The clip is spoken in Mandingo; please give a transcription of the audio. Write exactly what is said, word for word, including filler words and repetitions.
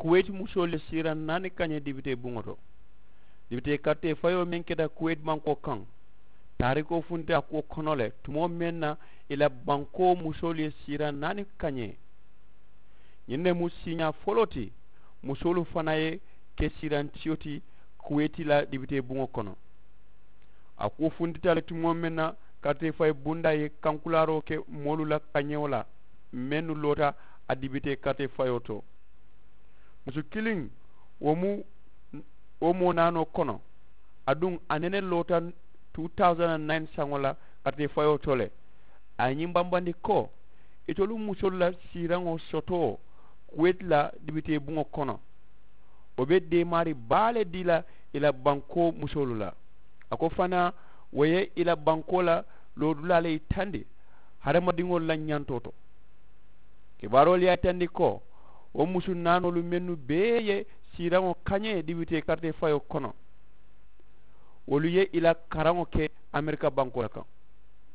kuweti musoolu ye siiraŋ naani kañee dibitee buŋo to. Dibitee karitee fayoo meŋ keta kuweti bankoo kaŋ, taarikoo funti a kuwo kono le tumoo meŋ na i la bankoo musoolu ye siiraŋ naani kañee. Ñiŋ ne mu siiñaa foloo ti musoolu fanaa ye ke siiraŋ tiyo ti kuweti la dibitee buŋo kono. A kuwo funtita le tumoo meŋ na karitee fayi bundaa ye kankulaaroo ke moolu la kañewo la mennu loota a dibitee karitee fayoo to. Musu kiliŋ wo mu wo moo naanoo kono. Aduŋ a nene loota two thousand and nine saŋo la karitee fayoo to le. A ye ñiŋ bambandi ko itolu musoolu la siiraŋo sotoo kuweti la dibitee buŋo kono wo be deemaari baa le dii la i la bankoo musoolu la. A ko fanaa wo ye i la bankoo la loodulaa le yitandi hadamadiŋolu la ñantoo to. Kibaaroolu ye a yitandi ko wo musu naanoolu mennu bee ye siiraŋo kañee dibitee karitee fayoo kono wolu ye i la karaŋo ke amerika bankoo le kaŋ.